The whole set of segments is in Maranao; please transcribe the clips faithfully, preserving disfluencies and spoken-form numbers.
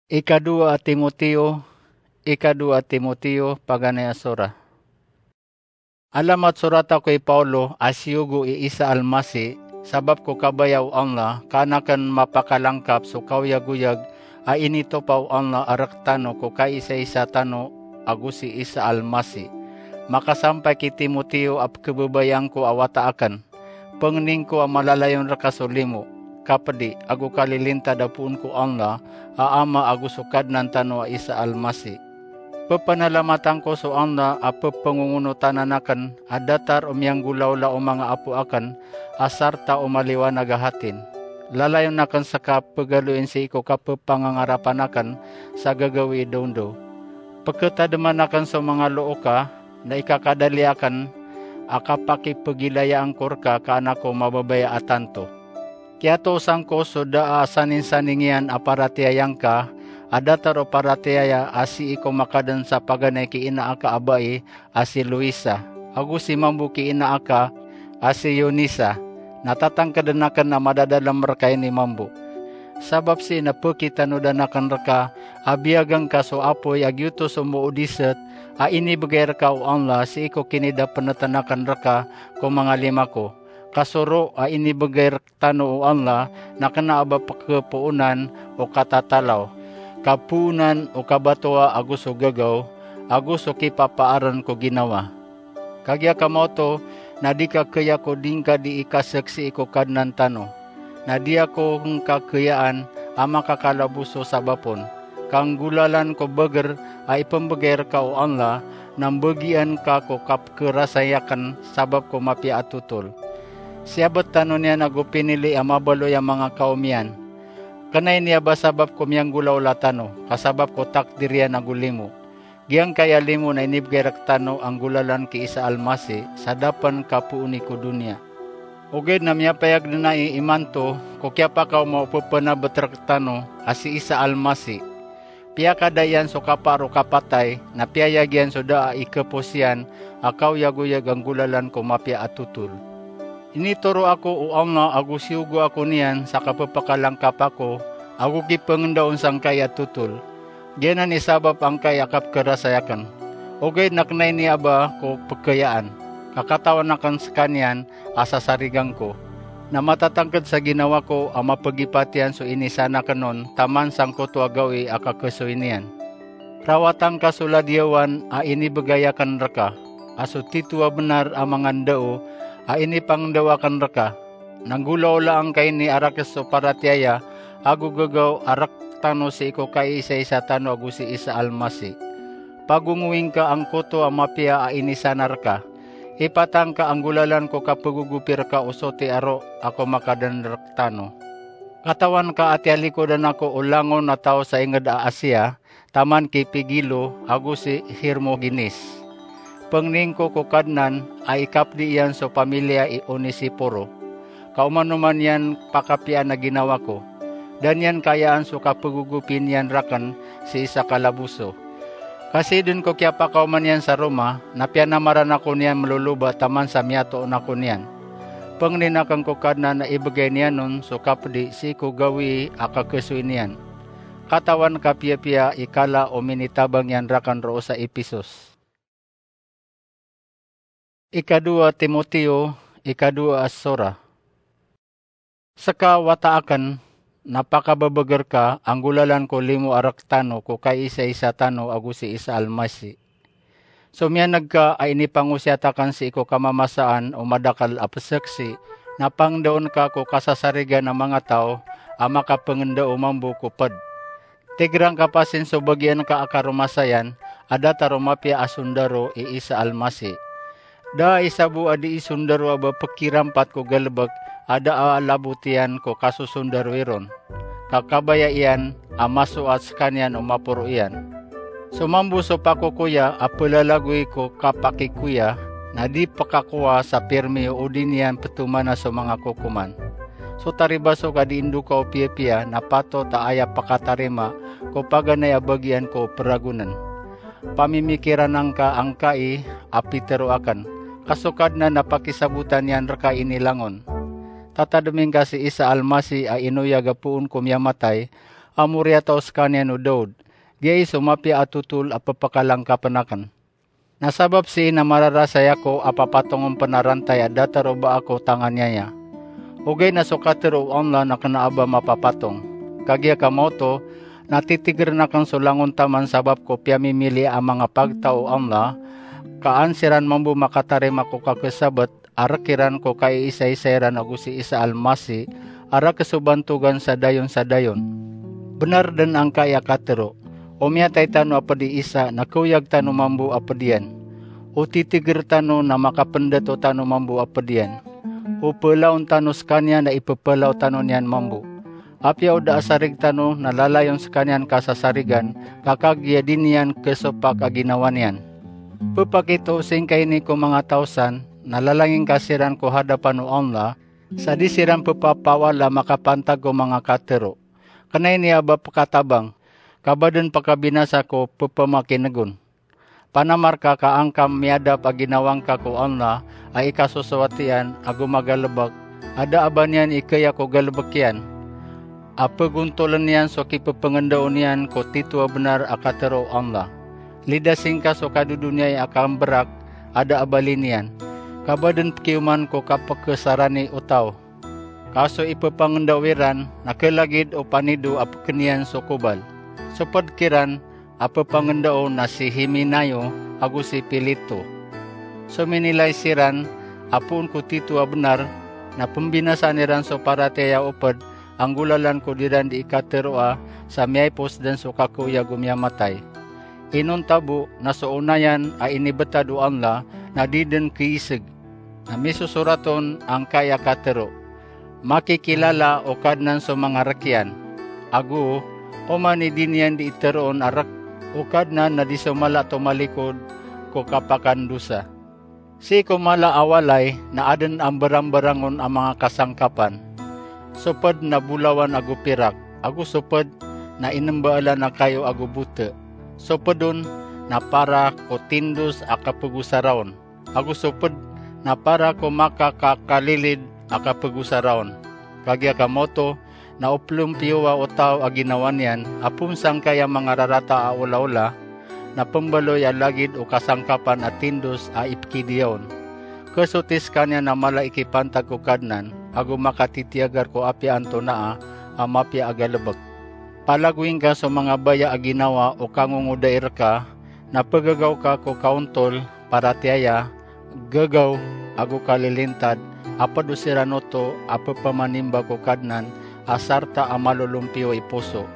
Ikadowa a Timoteo, ikadowa a Timoteo, paganay a sura. Alamat sorat ako i Paolo a siyogo i Isa Almasi, sabap ko kabaya o Allah, ka an aken mapakalangkap so kaoyagoyag a initopa o Allah a rektano ko kaisaisa tano ago si Isa Almasi. Makasampay ki Timoteo a pekebabayaan ko a wata aken. Pengnin ko a malalayon reka so limo, kapedi, ago kalilintad a poon ko Allah a Ama ago so Kadnan tano a Isa Almasi. Pepenalamatan ko so Allah a pepengongonotanan aken a datar o miyanggolaola o manga apo aken a sarta o maliwanag a hatin. Lalayon aken seka pegaloin sii ko kapepangangarapan aken sa gagawii dondaw. Peketademan aken so manga looka na ikakadali aken a kapakipegilayaan ko reka ka an ako mababaya a tanto. Kiyatoosan ko so da a saninsaning iyan a paratiyaya ngka a datar o paratiyaya a sii ko makaden sa paganay ki ina aka a bai a si Loisa, ago si mambo ki ina aka a si Eunisa, na tatangkeden aken a madadalem reka ini mambo. Sabap sii na pekitanodan aken reka a biyagen ka so apoy a giyoto so moodiset a inibegay reka o Allah sii ko kinidapeneten aken reka ko manga lima ko. Ka so ro a inibegay rektano o Allah na kena a ba pekepoonan o katatalaw, kapoonan o kabatoa ago so gagaw, ago so kipapaaren ko ginawa. Kagiya ka maoto na di ka kaya ko di ngka di ikaseksii ko Kadnan tano. Na di ako ngka kayaan a makakalaboso sabap on, ka nggolalan ko beger a ipembegay reka o Allah, na mbegian ka ko kapekerasayaken sabap ko mapiya a totol. Siyabet tano niyan ago pinili a mabaloy a manga kaom iyan. Kena ini a ba sabap ko miyanggolaola tano, ka sabap ko takdir iyan ago limo. Giyangkaya limo na inibegay rektano a nggolalan ki Isa Almasi sa da pen kapooni ko doniya. Ogaid na miyapayag den ai imanto ko kiyapakaoma o pepenabet rektano a si Isa Almasi. Piyakada iyan so kapaar o kapatay, na piyayag iyan so da a ikepos iyan a kaoyagoyag a nggolalan ko mapiya a totol. Initoro ako o Allah ago siyogo ako niyan sa kapepakalangkap ako ago kipengendaon sangkai a totol. Giyanan i sabap angkai a kapekerasayaken. Ogaid na kena ini a ba ko pekayaan, ka katawan aken sekaniyan a sasarigan ko. Na matatangked sa ginawa ko a mapegipat iyan so inisaan aken on taman sangkoto a gawii a kakesoy niyan. Rawatan ka so ladiyawan a inibegay aken reka, a so tito a benar a manga ndao a inipangndao aken reka. Na nggolaolaan ka ini a rakes so paratiyaya ago gagaw a rektano sii ko kaisaisa tano ago si Isa Almasi. Pagongowi ngka angkoto a mapiya a inisaan reka. Ipatang ka a nggolalan ko kapegogopi reka o soti a ro a komakaden rektano. Katawan ka a tiyalikodan ako o langon a taw sa inged a Asia, taman ki Pigilo ago si Hermogenes. Pengnin ko ko Kadnan a ikapedi iyan so pamiliya i Onesiporo. Ka oman-oman iyan pakapiyaan a ginawa ko, da niyan kayaan so kapegogopi niyan raken sii sa kalaboso. Ka sii den ko kiyapakaoma niyan sa Roma, na piyanamaran ako niyan meloloba taman sa miyatoon ako niyan. Pengnin aken ko Kadnan a ibegay niyan on so kapedi sii ko gawii a kakesoy niyan. Katawan ka piyapiya i kala o minitabang iyan raken roo sa Epesos. Ikadowa Timoteo, ikadowa a sura. Seka wata aken, na pakabebeger ka a nggolalan ko limo a rektano ko kaisaisa tano ago si Isa Almasi. So miyaneg ka a inipangosiyat aken sii ko kamamasaan o madakel a peseksi, na pangdaon ka ko kasasarigan a manga taw a makapengendao mambo ko ped. Tigerang ka pasin so bagian ka a karomasayan a datar o mapiya a sondaro i Isa Almasi. Da a isa bo a dii sondaro a ba pekirampat ko galebek a da a labot iyan ko kasosondarowi ron, ka kabaya iyan a masoat sekaniyan o maporo iyan. So mambo so pakokoya a pelalagoy ko kapakikoya na di pekakowa sa pirmi o odi niyan petomana so manga kokoman. So taribasok a dii ndoka o piyapiya na patot a aya pekatarima ko paganay a bagian ko peragonen. Pamimikiran angka angkai a pitero aken, ka so Kadnan na pakisabotan iyan reka ini langon. Tatademi ngka si Isa Almasi a inoyag a poon ko miyamatay, a moriyataw sekaniyan o Daud. Giyai so mapiya a totol a pepakalangkapen aken. Na sabap sii na mararasay ako a papatong on pen a rantay a datar o ba ako tanganiaya. Ogaid na so katero o Allah na kena a ba mapapatong. Kagiya ka maoto, na titigeren aken so langon taman sabap ko piyamimili a manga pagtaw o Allah, ka an siran mambo makatarima ko kakesabet a rek iran ko kaiisaisa iran ago si Isa Almasi a rakesobantogan sa dayon sa dayon. Benar den angkai a katero, o miyatay tano a ped i Isa na keoyag tano mambo a ped iyan. O titiger tano na makapendato tano mambo a ped iyan. O pelaon tano sekaniyan na ipepelaw tano niyan mambo. Apiya o da a sarig tano na lalayon sekaniyan kasasarigan, ka kagiya di niyan kesopak a ginawa niyan. Pepakito singkai ini ko manga taw san, na lalangingka siran ko hadapan o Allah, sa di siran pepapawala makapantag ko manga katero. Kena ini a ba pekatabang, ka ba den pakabinasa ko pepamakinegon. Panamar ka ka angka miyadap a ginawa ngka ko Allah a ikasosowat iyan ago magalebek, a da a ba niyan ikeya ko galebek iyan, a pegontolen iyan so kipepengendao niyan ko tito a benar a katero o Allah. Lidasi ngka so kadodoniyai a kamberak a da a bali niyan, ka ba den pekioman ko kapekesarani o taw. Ka so ipepangendao iran na kelagid o panido a pekeniyan so kobal. So ped kiran a pepangendao na si Himenayo ago si Pileto. So minilay siran a poon ko tito a benar, na pembinasaan iran so paratiyaya o ped a nggolalan ko diran di ikateroa sa miyaipos den so kakeoyag o miyamatay. Inonta bo na so onayan a inibetad o Allah na di den keiseg. Na misosorat on angkai a katero, "Makikilala o Kadnan so manga rek iyan." Ago, oman i di niyan di iteroon a rek o Kadnan na di so mala tomalikod ko kapakandosa. Sii ko mala a walay na aden a mberamberangon a manga kasangkapan. So ped na bolawan ago pirak, ago so ped na inembaalan a kayo ago bote. So ped on na para ko tindos a kapegosaraon, ago so ped na para ko makakakalilid a kapegosaraon. Kagiya ka maoto, na o pelompiyowa o taw a ginawa niyan a poon sangkai a manga rarata a olaola, na pembaloy a lagid o kasangkapan a tindos a ipkidiya on. Kesoti sekaniyan a mala i kipantag ko Kadnan, ago makatitiyagar ko apiya antonaa a mapiya a galebek. Palagoy ngka so manga baya a ginawa o kangongodai reka, na pegegaw ka ko kaontol, paratiyaya, gegaw, ago kalilintad, a ped o siran oto a pepamanimba ko Kadnan a sarta a malolompiyo i poso.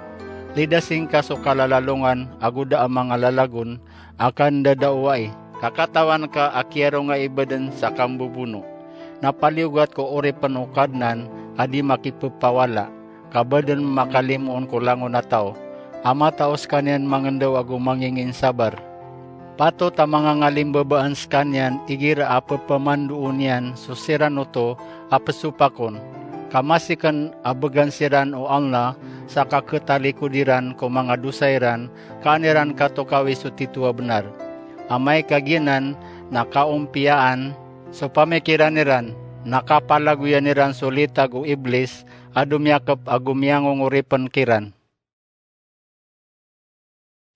Lidasi ngka so kalalalongan ago da a manga lalagon a kandadaowai, ka katawan ka a kiyaronga i baden sa kambobono. Na paliyogat ko oripen o Kadnan a di makipepawala, ka ba den makalimoon ko langon a taw, a matao sekaniyan mangendao ago manginginsabar. Patot a mangangalimbabaan sekaniyan igira a pepamandoon iyan so siran oto a pesopakon, ka masiken a began siran o Allah sa kaketalikod iran ko manga dosa iran, ka an iran katokawi so tito a benar. Amay ka giyanan na kaompiyaan so pamikiran iran, na kapalagoyan iran so litag o Iblis a domiyakep ago miyangongoripen kiran.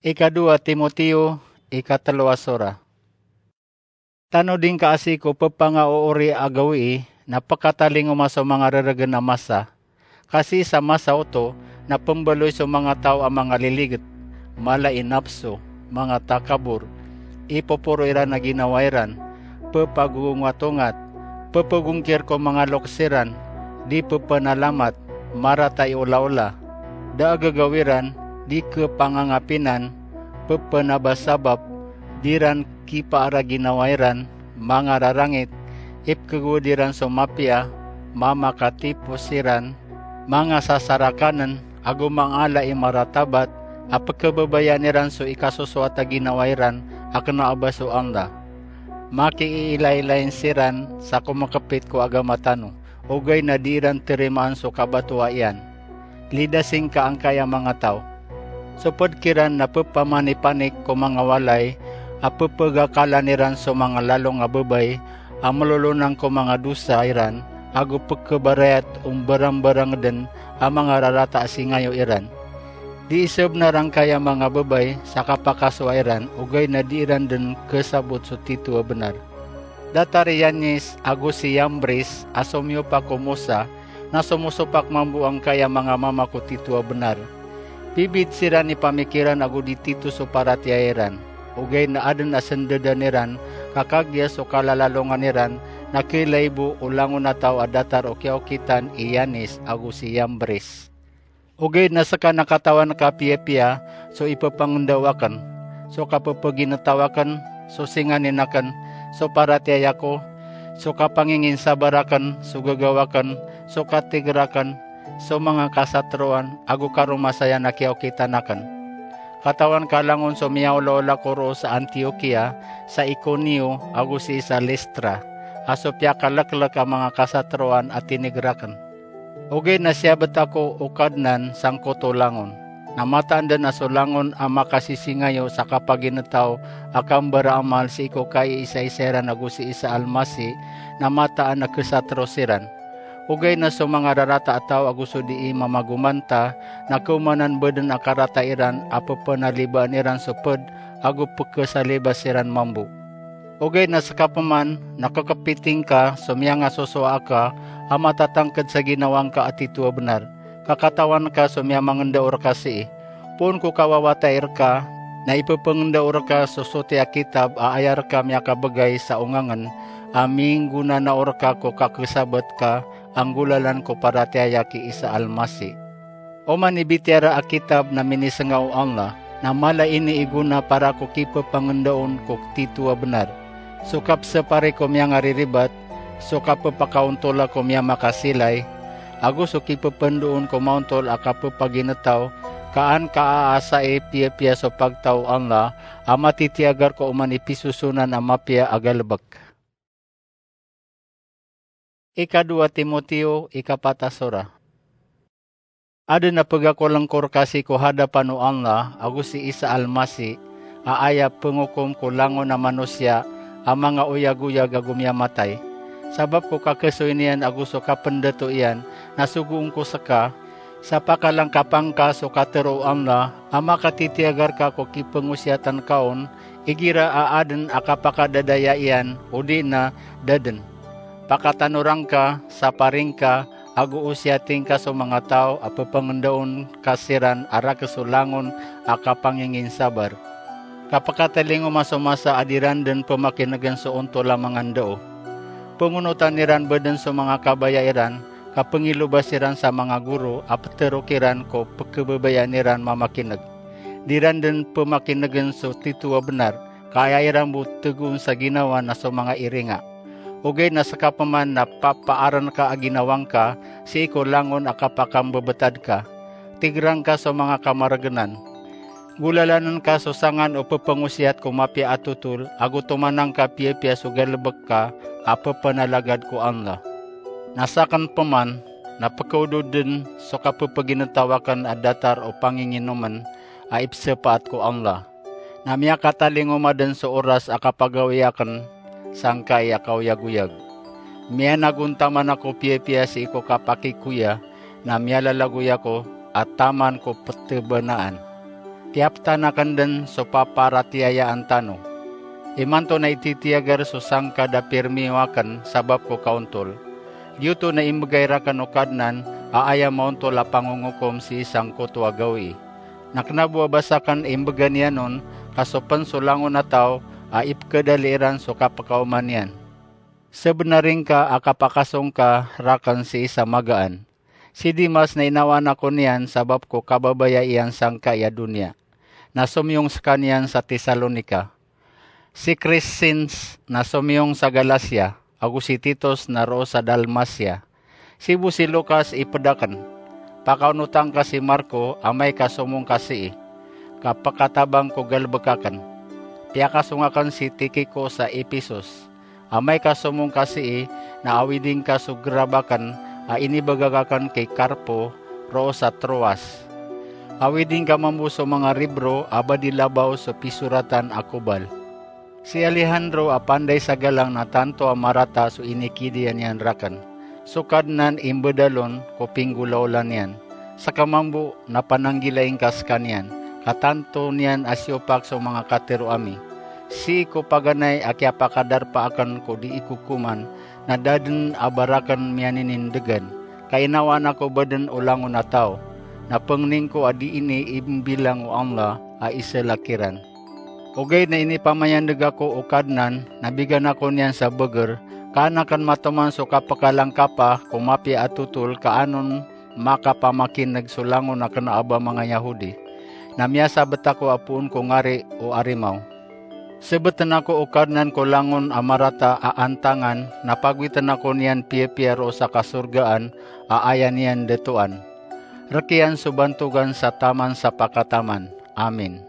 Ikadowa Timoteo, ikatelo a sora. Tanodi ngka a sii ko pepangaoori a gawii na pekatalingoma so manga reregen a masa. Ka sii sa masa oto na pembaloy so manga taw a manga liliget, mala i napso, manga takabor, ipoporo iran a ginawa iran, pepagongatongat, pepegongkir ko manga loks iran, di pepenalamat, marata i olaola, da a gegaw iran, di kepangangapinan, pepenabasabap, di ran kipaar a ginawa iran, manga rarangit, ipkegowad iran so mapiya, mamakatipos iran, manga sasarakanen, ago mangala i maratabat, a pekebabayaan iran so ikasosowat a ginawa iran a kena a ba so Allah. Makiiilailain siran sa komekepit ko agama tano, ogaid na di iran terimaan so kabatoa iyan. Lidasi ngka angkaya manga taw. So ped kiran na pepamanipanik ko manga walay a pepegakalan iran so manga lalong a babay a melolonang ko manga dosa iran, ago pekebarayat o mbarambarang den a manga rarata a singayo iran. Di isebnar angkaya manga babay sa kapakasowa iran, ogaid na di iran den kesabot so tito a benar. Datar i Yanis ago si Yambris a somiyopak o Mosa, na somosopak mambo angkaya manga mama ko tito a benar. Bibid siran i pamikiran ago di tito so paratiyaya iran. Ogaid na aden a sendedan iran, ka kagiya so kalalalongan iran, na kelaibo o langon a taw a datar o kiyaokitan i Yanis ago si Yambris. Ogaid na seka na katawan ka piyapiya so ipepangendao aken, so kapepeginetaw aken, so singanin aken, so paratiyaya ko, so kapanginginsabar aken, so gagaw aken, so katiger aken, so manga kasatroan, ago karomasayan a kiyaokitan aken. Katawan ka langon so miyaolaola ko roo sa Antiokia, sa Iconio, ago sii sa Listra, a so piyakaleklek a manga kasatroan a tiniger aken. Ogaid na siyabet ako o Kadnan sangkoto langon. Na mataan den a so langon a makasisingayo sa kapaginetaw a kambaraamal sii ko kaiisaisa iran ago sii sa Almasi, na mataan a kesatro siran. Ogaid na so manga rarata a taw ago so dii mamagomanta, na keomanan bo den a karata iran a pepenalibaan iran so ped ago pekesaliba siran mambo. Ogaid na seka peman na kekepiting ka so miyangasosowa aka a matatangked sa ginawa ngka a tito a benar, ka katawan ka so miyamangendao reka sii. Poon ko kawawatay reka, na ipepengendao reka so soti a kitab a aya reka miyakabegay sa ongangen a minggonanao reka ko kakesabet ka a nggolalan ko paratiyaya ki Isa Almasi. Oman i bitiyara a kitab na minisenga o Allah, na mala ini i gona para ko kipepangendaon ko tito a benar, so kapesepari ko miyangariribat, so kapepakaontola ko miyamakasiilay, ago so kipependoon ko maontol a kapepaginetaw, ka an kaaasai piyapiya so pagtaw o Allah a matitiyagar ko oman i pisosonan a mapiya a galebek. Ikadowa Timoteo, ikapat a sora. Aden a pegakolengkor ka sii ko hadapan o Allah ago si Isa Almasi, a aya pengokom ko langon a manosiya a manga oyagoyag ago miyamatay. Sabap ko kakesoy niyan ago so kapendato iyan, na sogoon ko seka, sa pakalangkapan ka so katero o Allah a makatitiyagar ka ko kipengosiyatan ka on, igira a aden a kapakadadaya iyan odi na da den. Pakatanoran ka, saparing ka, ago osiyating ka so manga taw a pepengendaon ka siran a raken so langon a kapanginginsabar. Kapakatalingoma so masa a di ran den pemakinegen so ontol a manga ndao. Pengonotan iran bo den so manga kabaya iran, ka pengiloba siran sa manga goro a petero kiran ko pekebabayaan iran mamakineg. Di ran den pemakinegen so tito a benar, ka aya iran bo tegoon sa ginawa na so manga iringa. Ogaid na seka peman na papaaren ka a ginawa ngka sii ko langon a kapakambebetad ka. Tigeran ka so manga kamaregenan. Golalanen ka so sangan o pepengosiyat ko mapiya a totol, ago tomanan ka piyapiya so galebek ka a pepenalagad ko Allah. Na saken peman, na pekeododen so kapepeginetaw aken a datar o panginginomen a ipsepaat ko Allah. Na miyakatalingoma den so oras a kapagawii aken sangkai a kaoyagoyag. Miyanagontaman ako piyapiya sii ko kapakikoya, na miyalalagoy ako a taman ko petebanaan. Tiyaptan aken den so paparatiyayaan tano. Imanto na ititiyagar so sangkad a pirmiyo aken sabap ko kaontol. Giyoto na imbegay raken o Kadnan a aya maontol a pangongokom sii sangkoto a gawii. Na kena bo a ba saken imbega niyan on, ka so pen so langon a taw a ipekadali iran so kapekaoma niyan. Sebenar ingka a kapakasong ka raken sii sa magaan. Si Demas na inawaan ako niyan sabap ko kababaya iyan sangkai a doniya, na somiyong sekaniyan sa Tesalonika. Si Crescens na somiyong sa Galacia, ago si Titus na roo sa Dalmacia. Sii bo si Lucas iped aken. Pakaonotan ka si Marco amay ka somong ka sii, ka pekatabang ko galebek aken. Piyakasong aken si Tikico sa Ephesus. Amay ka somong ka sii, na awiding ka so gerab aken a inibegak aken ki Carpo roo sa Troas. Awiding ka mambo so manga ribro a ba di labaw so pisoratan a kobal. Si Alejandro a panday sa galang na tanto a marata so inikidiya niyan raken. So Kadnan imbedalon ko pinggolaola niyan. Seka mambo na pananggilai ngka sekaniyan, ka tanto niyan a siyopak so manga katero ami. Sii ko paganay a kiyapakadarpa aken ko di ikokoman, na da den a baraken miyaninindegen, ka inawaan ako bo den o langon a taw, na pengnin ko a di ini imbilang o Allah a isela kiran. Ogaid na inipamayandeg ako o Kadnan, na bigan ako niyan sa beger, ka an aken matoman so kapekalangkapa ko mapiya a totol ka anon makapamakineg so langon a kena a ba manga Yahudi. Na miyasabet ako a poon ko ngari o Arimaw. Sebeten ako o Kadnan ko langon a marata a antangan, na pagowiten ako niyan piyapiya roo sa kasorgaan a aya niyan detoan. Rekiyan so bantogan sa taman sa pakataman. Amin.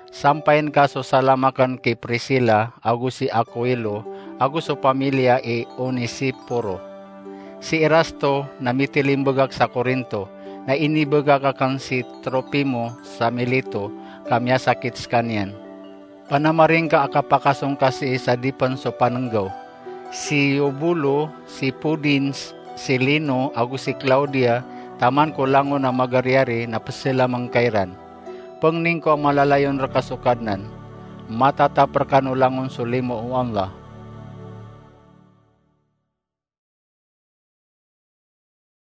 Sampayin ka so salam aken ki Priscila, ago si Aquilo, ago so pamilya i Onesiforo. Si Erasto na mitilimbegak sa Corinto, na inibegak aken si Tropimo sa Mileto, ka miyasakit sekaniyan. Panamaring ka a kapakasong ka sii sa dipen so panenggaw. Si Eubulo, si Pudens, si Lino, ago si Claudia, taman ko langon a magariyari na peselameng ka iran. Pengnin ko a malalayon reka so Kadnan. Matatap rekan o langon so limo o Allah.